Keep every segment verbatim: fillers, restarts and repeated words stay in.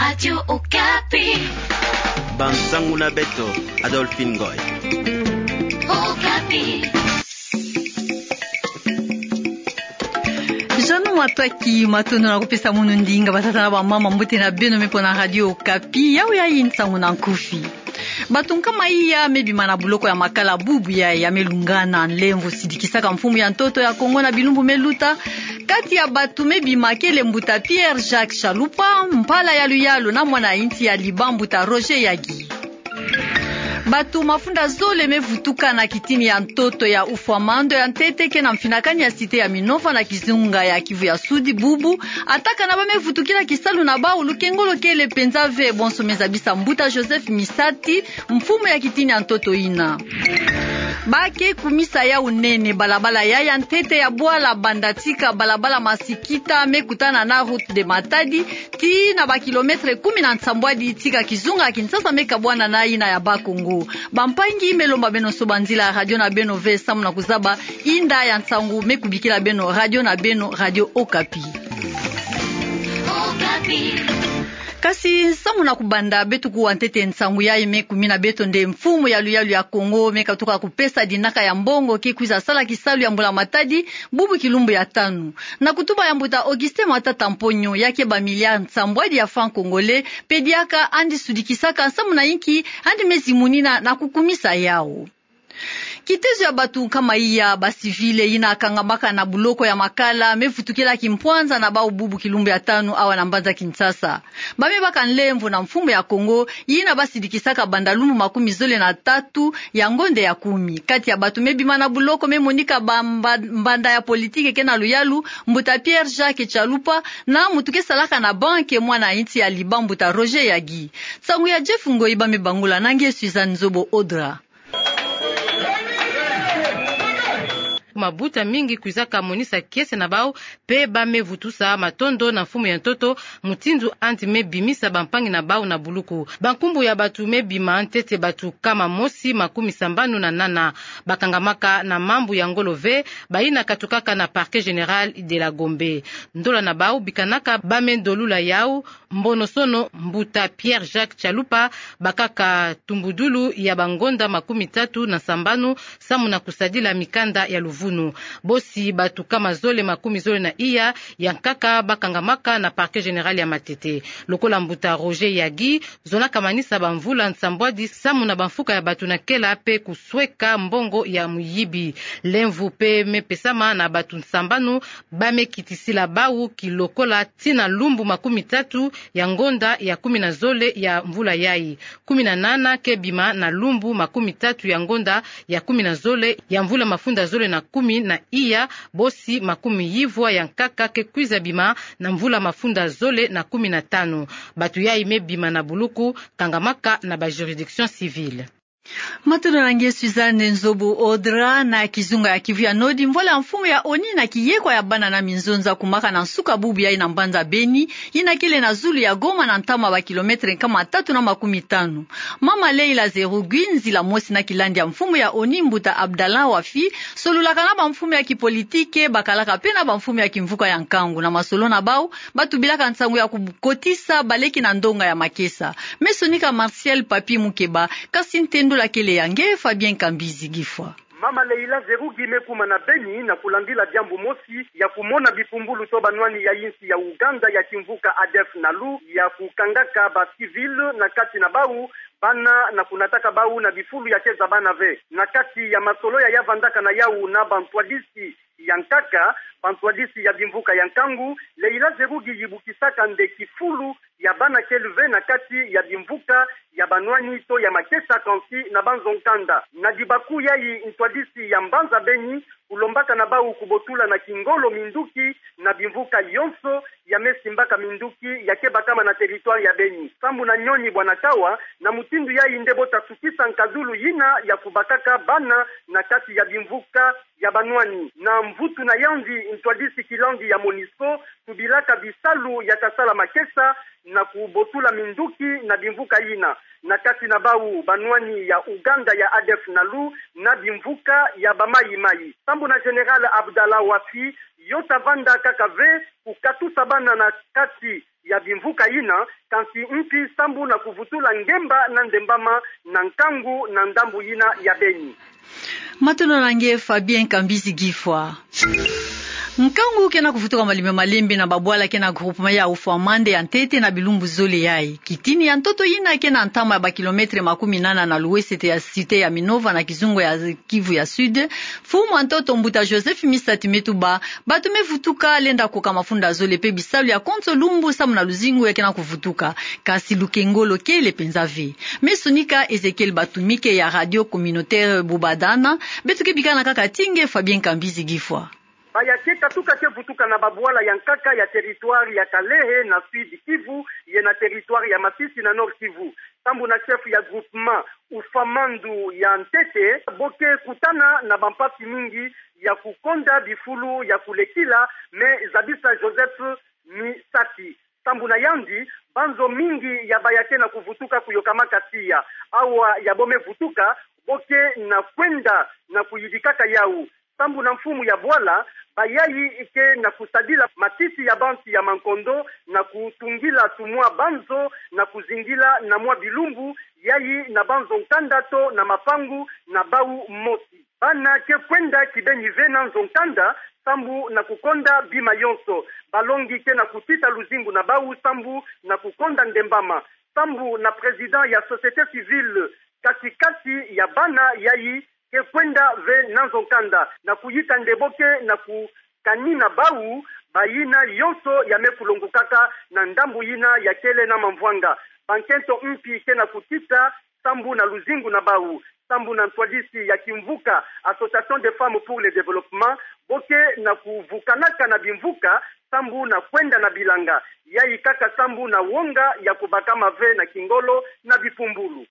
Radio Okapi. Bansangu na beto, Adolphine Ngoy. Okapi. Jeannot Matwaki, matondo na kupesa munu ndinga, batata na bamama, mbote na beno me pona Radio Okapi. Yawu yayi nsangu na nkufi. Bato nkama iya me bima na buloko ya Makala bubu yayi ya me lungana nlemvo sidikisaka mfumu ya ntoto ya Kongo na bilumbu me luta. Kati ya bato me bima kele mbuta Pierre Jacques Chalupa, mpala ya luyalu na mwana insi ya Liban mbuta Roger Yagi. Bato mafunda zole me vutuka na kitini ya ntoto ya Ufwamando ya ntete ke na mfinakani ya cité ya Minova na kizunga ya Kivu ya Sudi bubu, atakana ba me vutukila kisalu na bawu, lukengolo kele mpenza ve. Bonso me zabisa mbuta Joseph Misati, mfumu ya kitini ya ntoto yina. Ba ke kumisa yawu nene balabala ya, ya ntete ya bwala banda tika balabala Masikita me kutana na route de Matadi, tii na ba kilomètre kumi na nsambwadi tika kizunga Kinshasa me kabwana na yina ya Bas-Congo. Bampangi, me lomba beno soba nzila radio na beno ve samu na kuzaba inda ya nsangu me kubikila beno radio na beno Radio Okapi. Okapi. Kasi samu na kubanda, beto kuwa ntete nsangu yayi me kumina beto nde mfumu ya luyalu ya Kongo me katuka kupesa dinaka ya mbongo ke kwiza sala kisalu ya mbula matadi bubu kilumbu ya tanu. Na kutuba ya mbuta Augustin Matata Mponyo, ya ke ba milliards nsambwadi ya francs congolais, mpe diaka andi sudikisaka samu na inki andi me zimunina na kukumisa yawu. Kitezo ya bato nkama iya, ba civils yina kangamaka na buloko ya Makala, me vutukila kimpwanza na bawu bubu kilumbu ya tanu awa na mbanza Kinshasa. Ba me baka nlemvo na mfumu ya Kongo, yina ba sidikisaka banda lumbu makumi zole na tatu ya ngonda ya kumi. Kati ya bato me bima na buloko me monika ba mba-, mbanda ya politiki ke na luyalu, mbuta Pierre Jacques Chalupa, na muntu ke salaka na banki, mwana insi ya Liban mbuta Roger Yagi. Nsangu ya Jeff Ngoyi ba me bangula na nge Suzanne Nzobo Audra. Mabota mingi kwizaka monisa kiese na bawu, mpe ba me vutusa matondo na mfumu ya ntoto, mutindu andi me bimisa bampangi na bawu na buluku. Bankumbu ya bato me bima ntete bato nkama mosi makumi sambanu na nana. Bakangamaka na mambu ya ngolo ve, bayina katukaka na Parquet Général de la Gombe. Ndola na bawu bikanaka ba me ndolula yawu, mbonosono mbuta Pierre Jacques Chalupa bakaka tumbudulu ya bangonda makumi tatu na sambanu samu na kusadila mikanda ya luvunu. Bosi bato nkama zole makumi zole na iya ya nkaka bakangamaka na Parquet Général ya Matete. Lokola mbuta Roger Yagi, zonaka manisa bamvula nsambwadi samu na bamfuka ya bato na kela mpe kusweka mbongo ya muyibi. Lemvo mpe me pesama na bato nsambanu ba me kitisila bawu kilokola tii na lumbu makumi tatu ya ngonda ya kumi na zole ya mvula yayi. Kumi na nana ke bima na lumbu makumi tatu ya ngonda ya kumi na zole ya mvula mafunda zole na kumi na iya, bosi makumi yivwa ya nkaka ke kwiza bima na mvula mafunda zole na kumi na tanu. Bato yayi me bima na buluku kangamaka na ba juridiction civile. Matondo na nge Suzanne Nzobo Audra. Na kizunga ya Kivu ya Nord, mvwala ya mfumu ya ONU na kiyekwa ya bana na minzonza kumaka na nsuka bubu yayi na mbanza Beni, yina kele na zulu ya Goma na ntama ba kilomètre nkama tatu na makumi tanu. Mama Leila Zerugi, nzila mosi na kilandi ya mfumu ya ONU mbuta Abdallah Wafi, solulaka na bamfumu ya kipolitike, bakalaka mpe na bamfumu ya kimvuka ya nkangu. Na masolo na bawu, ba tubilaka nsangu ya kukotisa baleke na ndonga ya makesa. Me sonika Martial Papi Mukeba, kasi ntendula kele ya nge Fabien Kambizi Gifwa. Mama Leila Zerugi me kuma na Beni na kulandila diambu mosi ya kumona bipumbulu to banwani ya insi ya Ouganda ya kimvuka ADF-NALU ya kukangaka ba civils, na kati na bawu bana, na kunataka bawu na bifulu ya keza bana ve. Na kati ya masolo ya ya vandaka na yawu na bantwadisi ya nkaka, bantwadisi ya bimvuka ya nkangu, Leila Zerugi yibukisaka nde kifulu ya bana kele ve na kati ya bimvuka ya banwani to ya makesa, kansi na banzo nkanda. Na dibaku yayi, ntwadisi ya mbanza Beni kulombaka na bawu kubotula na kingolo minduki na bimvuka yonso ya me simbaka minduki ya ke bakama na territoire ya Beni. Sambu na nyoni bwa na kawa, na mutindu yayi nde bo ta sukisa nkadulu yina ya kubakaka bana na kati ya bimvuka ya banwani. Na mvutu na yandi, ntwadisi kilandi ya MONUSCO tubilaka bisalu ya kasala makesa na kubotula minduki na bimvuka yina, na kati na bau banwani ya Ouganda ya Adf Nalu na bimvuka ya ba mayi-mayi. Sambu na Général Abdallah Wafi, yo ta vanda kaka ve kukatusa bana na kati ya bimvuka yina, kansi mpi sambu na kuvutula ngemba na ndembama na nkangu na ndambu yina ya Beni. Matondo na nge Fabien Kambizi Gifwa. Nkangu kena kuvutuka malembe malembe na babwala kena groupement ya Ufamande ya ntete na bilumbu zole yayi. Kitini ya ntoto yina kena ntama ya ba kilomètre makumi nana na luwesete ya cité ya Minova na kizunga ya Kivu ya Sud. Mfumu a ntoto mbuta Joseph Misati me tuba, bato me vutuka lenda koka mafunda zole pe bisalu ya konso lumbu samu na luzingu ya kena kuvutuka. Kasi lukengolo kele penza ve. Me sonika Ezekiel Batumike ya Radio Communautaire Bubadana, beto ke bikana kaka ti nge Fabien Kambizi Gifwa. Baya ke katuka ke vutuka na babwala ya nkaka ya territoire ya Kalehe na Sud Kivu, ye na territoire ya Masisi na Nord Kivu. Sambu na chef ya groupement Ufamandu ya ntete, bo ke kutana na bampasi mingi ya kukonda bifulu ya kulekila, me zabisa Joseph Misati. Sambu na yandi, banzo mingi ya baya kena kuvutuka kuyokamaka tiya. Awa ya bo me vutuka, bo ke na kwenda na kuyidikaka yau. Sambu na mfumu ya bwala, bayayi ke na kusadila matiti ya bansi ya mankondo na kutungila tumwa banzo na kuzingila na mwa bilumbu yayi na banzo nkanda to na mapangu na bau mosi. Bana ke kwenda kibeni ve na nzo nkanda, sambu na kukonda bima yonso. Balongi ke na kutita luzingu na bau sambu na kukonda ndembama. Sambu na président ya société civile kati-kati ya bana yayi ke kwenda ve na nzo nkanda, na kuyita nde bo ke na kukanina bau bayina yonso ya me kulongukaka na ndambu yina ya kele na mamvwanga. Bankento mpi ke na kutita sambu na luzingu na bau. Sambu na ntwadisi ya kimvuka Association des Femmes pour le Développement, bo ke na kuvukanaka na bimvuka sambu na kwenda na bilanga. Yayi kaka sambu na wonga ya kubakama ve na kingolo na bipumbulu.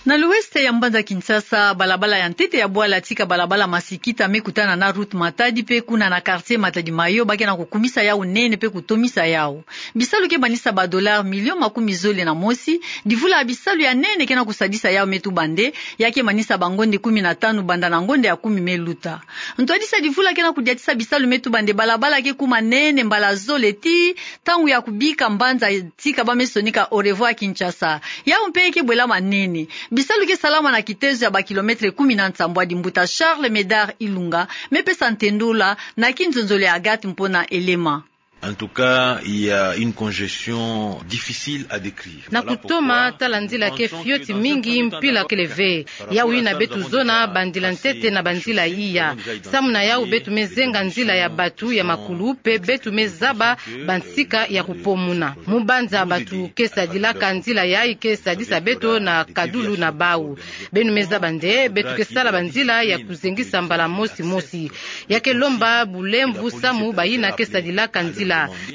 Na luweste ya mbanza Kinshasa, balabala ya ntete ya bwala tika balabala Masikita me kutana na route Matadi pe kuna na quartier Matadi Mayo ba ke na kukumisa yau nene pe kutomisa yau. Bisalu ke manisa ba dollars millions makumi zole na mosi, divula ya bisalu ya nene ke na kusadisa yau me tuba nde, ya ke manisa bangonde kumi na tanu banda na ngonde ya kumi me luta. Ntwadisi ya divula ke na kudiatisa bisalu me tuba nde balabala ke kuma nene mbala zole ti ntangu ya kubika mbanza tika ba me sonika au revoir Kinshasa. Yau mpe ke bwelama nene. Bisalu ke salama na kitezo ya ba kilomètre kumi na nsambwadi. Mbuta Charles Médard Ilunga me pesa ntendula na kinzonzolo ya Agathe Mpona Elema. En tout cas, il y a une congestion difficile à décrire. Na kutoma, tala nzila ke fioti mingi, mpila kele ve. Yau yina beto zona bandila ntete na banzila iya. Samu na yau beto me zenga nzila ya bato ya makulu, pe beto me zaba bansika ya kupomuna. Mu banza bato ke sadilaka nzila yayi ke sadisa beto na kadulu na bau. Beno me zaba nde, beto ke sala banzila ya kuzengisa mbala mosi mosi. Ya ke lomba bulemvu samu bayina ke sadilaka nzila.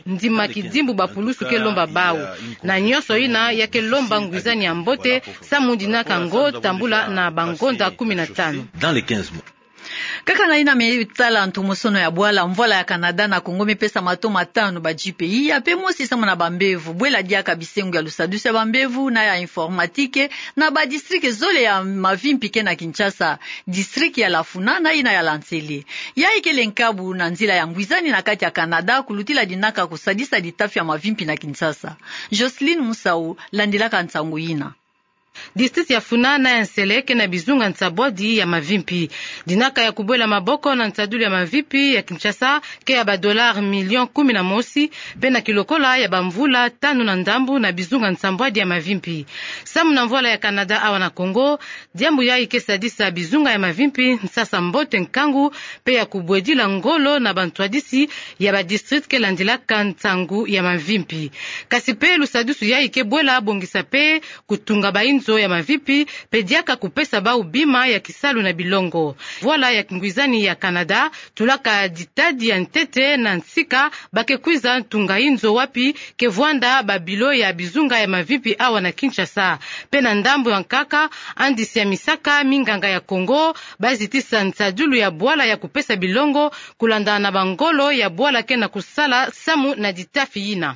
Ndima kidimbu bapulusu ke lomba bau. Na nyonso yina ya ke lomba ngwizani ya mbote, samu dinaka ngo tambula na bangonda kumi na tanu. Dans les quinze mois. Kaka na yina me tala ntomosono ya bwala, mvwala ya Canada na Congo me pesa mato matanu ba G P I, ya pe mosi samu na bambevo, bwela diaka bisengo ya lusadusu ya bambevo, na ya informatique, na ba district zole ya mavimpi ke na Kinshasa, district ya Lafuna na yina ya Lansele. Yayi kele nkabu na nzila ya ngwizani na kati ya Canada, kulutila dinaka kusadisa ditafi ya mavimpi na Kinshasa. Jocelyne Musau, landilaka nsangu yina. District ya Funa na ya Nsele ke na bizunga nsambwadi ya mavimpi. Dinaka ya kubwela maboko na nsadulu ya mavimpi ya Kinshasa ke ya ba dollars millions kumi na mosi, pe na kilokola ya bamvula tanu na ndambu na bizunga nsambwadi ya mavimpi. Samu na mvwala ya Canada awa na Congo, diambu yayi ke sadisa bizunga ya mavimpi nsasa mbote nkangu, pe ya kubwedila ngolo na bantwadisi ya ba district ke landilaka nsangu ya mavimpi. Kasi pe lusadusu yayi ke bwela bongisa pe kutunga bainzo ya mavimpi, pe diaka kupesa bau bima ya kisalu na bilongo. Mvwala ya kingwizani ya Canada tulaka ditadi ya ntete na nsika ba ke kwiza ntunga inzo wapi ke vwanda ba bilo ya bizunga ya mavimpi awa na Kinshasa. Pe na ndambu ya nkaka, andisi ya misaka minganga ya Congo ba zitisa nsadulu ya bwala ya kupesa bilongo, kulanda na bangolo ya bwala ke na kusala samu na ditafi yina.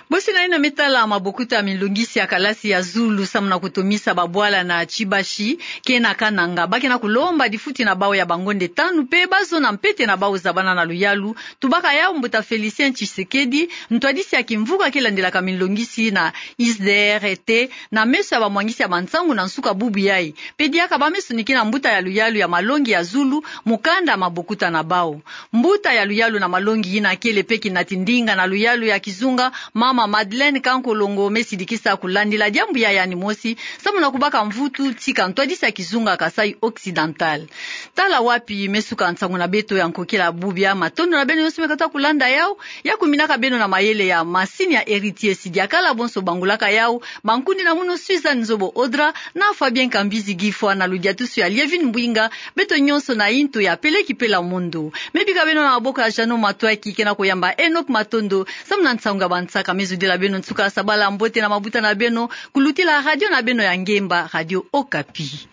Bosi na ina me tala mabokuta ya minlongisi ya kalasi ya zulu samu na kutomisa babwala na Chibashi, ke na Kananga, ba ke na kulomba difuti na bau ya bangonde tanu pe bazona mpete na bau za bana na luyalu, tubaka yau mbuta Félicien Tshisekedi, ntwadisi ya kimvuka ke landilaka minlongisi na I S D R T, na meso ya bamwangisi ya bansangu na nsuka bubu yayi. Pe diaka ba meso niki na mbuta ya luyalu ya malongi ya zulu, mukanda mabokuta na bau. Mbuta ya luyalu na malongi yina kele pe kinati ndinga na luyalu ya kizunga, mama Madeleine Kankolongo, me sidikisa kulandila diambu yayi animosi, samu na kubaka mvutu tika ntwadisi ya kizunga Kasaï Occidental. Tala wapi me suka nsangu na beto ya nkokila bubia. Matondo na beno nyonso me kata kulanda yau, ya kuminaka beno na mayele ya masini ya Héritier Sidiakala, bonso bangulaka yau, bankundi na munu Suzanne Nzobo Audra, na Fabien Kambizi Gifwa na ludiatusu ya Lievine Mbwinga, beto nyonso na intu ya Peleki Pela Mondo. Me bika beno na maboko ya Jeannot Matoaki ke na kuyamba Enoch Matondo, samu na nsangu ya bansaka. Me zudila beno nsuka sabala mbote na mabuta na beno, kulutila radio na beno ya ngemba, Radio Okapi.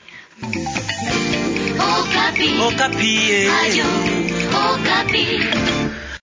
Okapi. Okapi, eh. Radio Okapi.